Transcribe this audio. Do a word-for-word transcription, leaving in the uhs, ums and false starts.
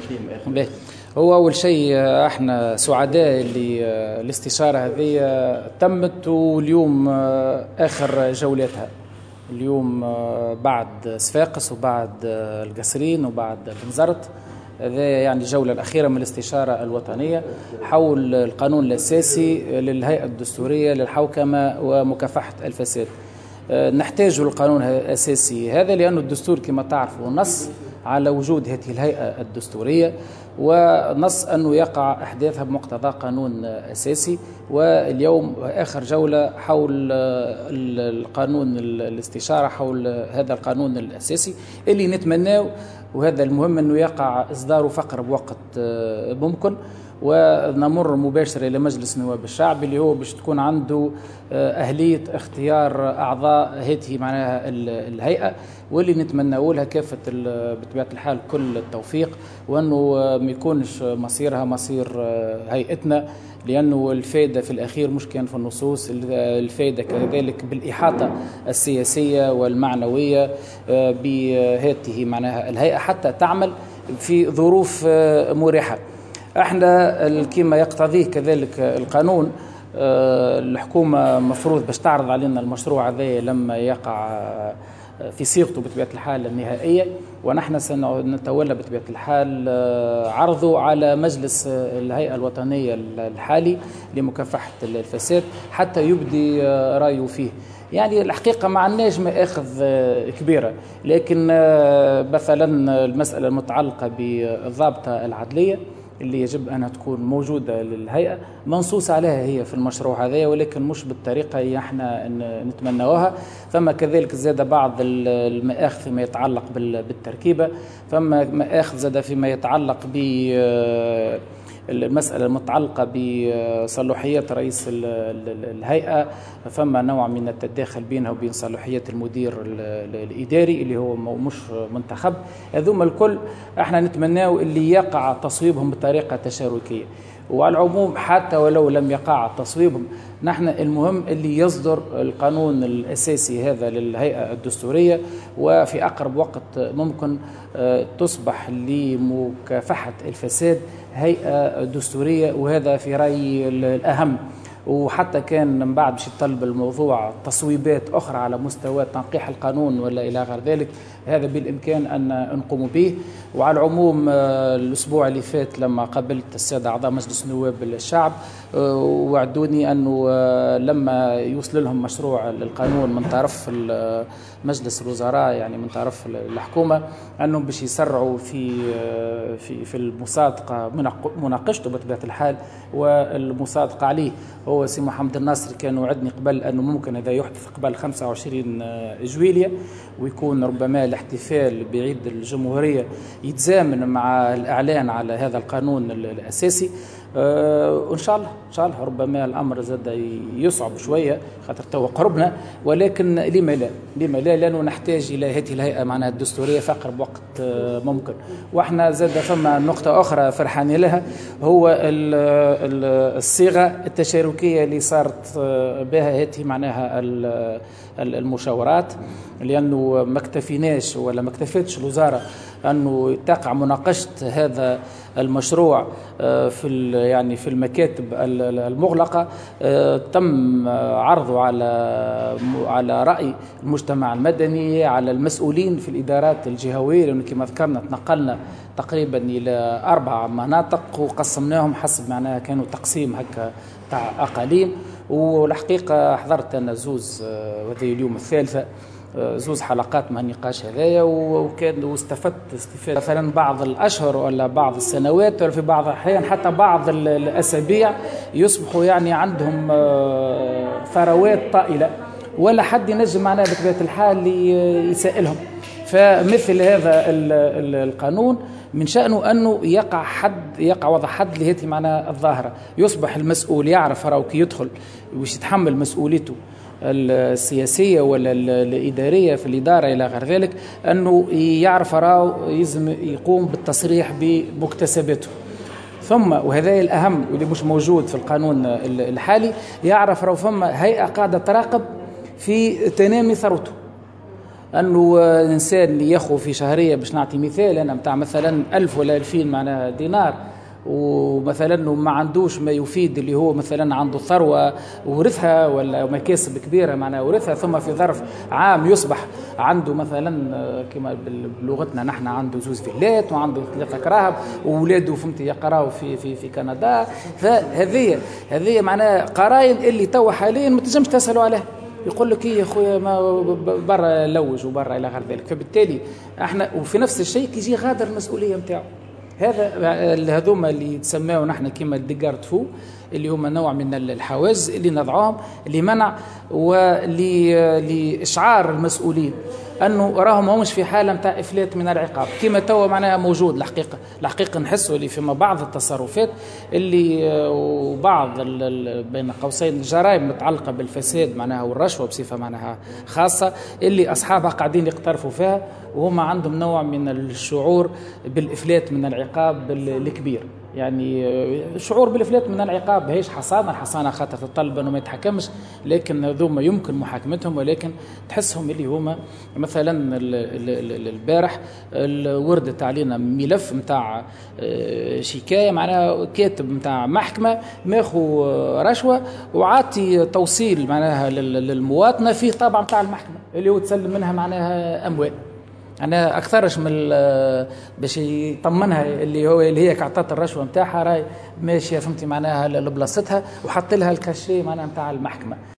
فيه مآخذ؟ هو أول شيء احنا سعداء اللي الاستشارة هذه تمت، واليوم آخر جولاتها اليوم بعد صفاقس وبعد القصرين وبعد بنزرت. هذا يعني الجولة الأخيرة من الاستشارة الوطنية حول القانون الأساسي للهيئة الدستورية للحوكمة ومكافحة الفساد. نحتاج القانون الأساسي هذا لأنه الدستور كما تعرفوا نص على وجود هذه الهيئة الدستورية، ونص أنه يقع أحداثها بمقتضى قانون أساسي. واليوم آخر جولة حول القانون، الاستشارة حول هذا القانون الأساسي اللي نتمناه، وهذا المهم أنه يقع إصداره في أقرب وقت ممكن، ونمر مباشرة إلى مجلس نواب الشعب اللي هو باش تكون عنده أهلية اختيار أعضاء هذه معناها الهيئة، واللي نتمنى لها كافة بطبيعة الحال كل التوفيق، وأنه ما يكونش مصيرها مصير هيئتنا، لأنه الفائدة في الأخير مش كان في النصوص، الفائدة كذلك بالإحاطة السياسية والمعنوية بهذه معناها الهيئة حتى تعمل في ظروف مريحة. احنا كما يقتضيه كذلك القانون، الحكومة مفروض باش تعرض علينا المشروع هذا لما يقع في صيغته بطبيعة الحال النهائية، ونحن سنتولى بطبيعة الحال عرضه على مجلس الهيئة الوطنية الحالي لمكافحة الفساد حتى يبدي رأيه فيه. يعني الحقيقة ما عندناش مآخذ كبيرة، لكن مثلا المسألة المتعلقة بالضابطة العدلية اللي يجب أنها تكون موجودة للهيئة منصوص عليها هي في المشروع هذا، ولكن مش بالطريقة اللي احنا نتمناوها. ثم كذلك زاد بعض المآخذ فيما يتعلق بالتركيبة، ثم مآخذ زاد فيما يتعلق ب المسألة المتعلقة بصلاحيات رئيس الهيئة، فما نوع من التداخل بينها وبين صلاحيات المدير الإداري اللي هو مش منتخب. هذوما الكل احنا نتمناو اللي يقع تصويبهم بطريقة تشاركية. وعلى العموم حتى ولو لم يقع تصويبهم، نحن المهم اللي يصدر القانون الأساسي هذا للهيئة الدستورية، وفي أقرب وقت ممكن تصبح لمكافحة الفساد هيئة دستورية، وهذا في رأيي الأهم. وحتى كان من بعد باش يطلب الموضوع تصويبات أخرى على مستوى تنقيح القانون ولا إلى غير ذلك، هذا بالإمكان أن نقوم به. وعلى العموم الأسبوع اللي فات لما قابلت السادة أعضاء مجلس نواب الشعب وعدوني أنه لما يوصل لهم مشروع القانون من طرف مجلس الوزراء، يعني من طرف الحكومة، أنهم باش يسرعوا في في في المصادقة، مناقشته بطبيعة الحال والمصادقة عليه. هو سي محمد الناصر كان وعدني قبل أنه ممكن هذا يحدث قبل خمسة وعشرين جويلية، ويكون ربما الاحتفال بعيد الجمهورية يتزامن مع الإعلان على هذا القانون الأساسي. أه وإن شاء الله إن شاء الله ربما الأمر زاد يصعب شوية خاطر تو قربنا، ولكن لما لا، لما لا، لأنه نحتاج إلى هذه الهيئة معناها الدستورية في أقرب وقت ممكن. وإحنا زاد فما نقطة أخرى فرحانين لها، هو الصيغة التشاركية اللي صارت بها هذه معناها المشاورات، لأنه ما اكتفيناش ولا ما اكتفتش الوزارة أنه تقع مناقشة هذا المشروع في يعني في المكاتب المغلقة. تم عرضه على على رأي المجتمع المدني، على المسؤولين في الإدارات الجهوية، لأنه كما ذكرنا تنقلنا تقريبا إلى أربع مناطق وقسمناهم حسب معناها كانوا تقسيم هكا تاع أقاليم. والحقيقة حضرت أنا زوز، وهذه اليوم الثالثة، زوز حلقات مع النقاش هذايا، وكان واستفدت استفادة. مثلا بعض الأشهر ولا بعض السنوات ولا في بعض الأحيان حتى بعض الأسابيع يصبحوا يعني عندهم ثروات طائلة، ولا حد ينجم معناها بطبيعة الحال يسائلهم. فمثل هذا القانون من شأنه أنه يقع حد، يقع وضع حد لهذه معناها الظاهرة، يصبح المسؤول يعرف راهو كي يدخل وش يتحمل مسؤوليته السياسية ولا الإدارية في الإدارة إلى غير ذلك، أنه يعرف راهو يلزم يقوم بالتصريح بمكتسباته. ثم وهذا الأهم واللي مش موجود في القانون الحالي، يعرف راهو فما هيئة قاعدة تراقب في تنامي ثروته. انه الانسان اللي ياخذ في شهرية، باش نعطي مثال انا نتاع مثلا ألف ولا ألفين معناها دينار، ومثلا ما عندوش ما يفيد اللي هو مثلا عنده ثروة ورثها ولا مكاسب كبيرة معناها ورثها، ثم في ظرف عام يصبح عنده مثلا كما بلغتنا نحن عنده زوز فيلات وعنده ثلاثة كراهب واولاده فهمتي يقراوا في في في كندا. فهذه هذه معناها قراين اللي توا حاليا ما تنجمش تسالوا عليها، يقول لك ايه يا خويا ما برا لوج وبرا الى غير ذلك. فبالتالي احنا وفي نفس الشيء كي يجي غادر المسؤولية نتاعو، هذا هذوما اللي يتسماو نحن كيما des garde-fous اللي هما نوع من الحواجز اللي نضعوهم لمنع ولإشعار المسؤولين انه راهم همش في حاله نتاع افلات من العقاب كما توا معناها موجود. الحقيقة الحقيقة نحسوا اللي فيما بعض التصرفات اللي وبعض بين قوسين الجرائم المتعلقة بالفساد معناها والرشوه بصفة معناها خاصة اللي اصحابها قاعدين يقترفوا فيها وهم عندهم نوع من الشعور بالافلات من العقاب الكبير. يعني الشعور بالافلات من العقاب هيش حصانه، الحصانة خاطر تطلب انه ما يتحكمش، لكن هذوما يمكن محاكمتهم، ولكن تحسهم اللي هما مثلا البارح وردت علينا ملف نتاع شكاية معناها كاتب نتاع محكمة ماخو رشوة وعاطي توصيل معناها للمواطنه فيه طابع نتاع المحكمة اللي هو تسلم منها معناها اموال. انا اكثرش من باش يطمنها اللي هو اللي هي عطات الرشوة نتاعها راهي ماشية فهمتي معناها لبلاصتها وحط لها ال cachet معناها نتاع المحكمة.